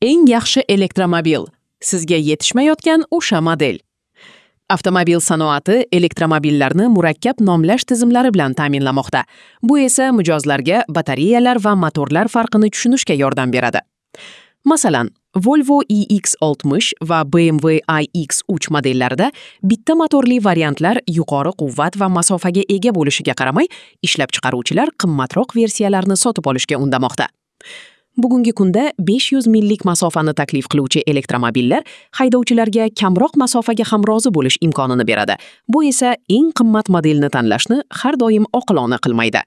Eng yaxshi elektromobil. Sizga yetishmayotgan o'sha model. Avtomobil sanoati elektromobillarni murakkab nomlash tizimlari bilan ta'minlamoqda. Bu esa mijozlarga batareyalar va motorlar farqini tushunishga yordam beradi. Masalan, Volvo EX60 va BMW iX3 modellarida bitta motorli variantlar yuqori quvvat va masofaga ega bo'lishiga qaramay, ishlab chiqaruvchilar qimmatroq versiyalarni sotib olishga undamoqda. Bugungi kunda 500 millik masofani taklif qiluvchi elektromobillar haydovchilarga kamroq masofaga ham rozi bo'lish imkonini beradi. Bu esa eng qimmat modelni tanlashni har doim oqilona qilmaydi.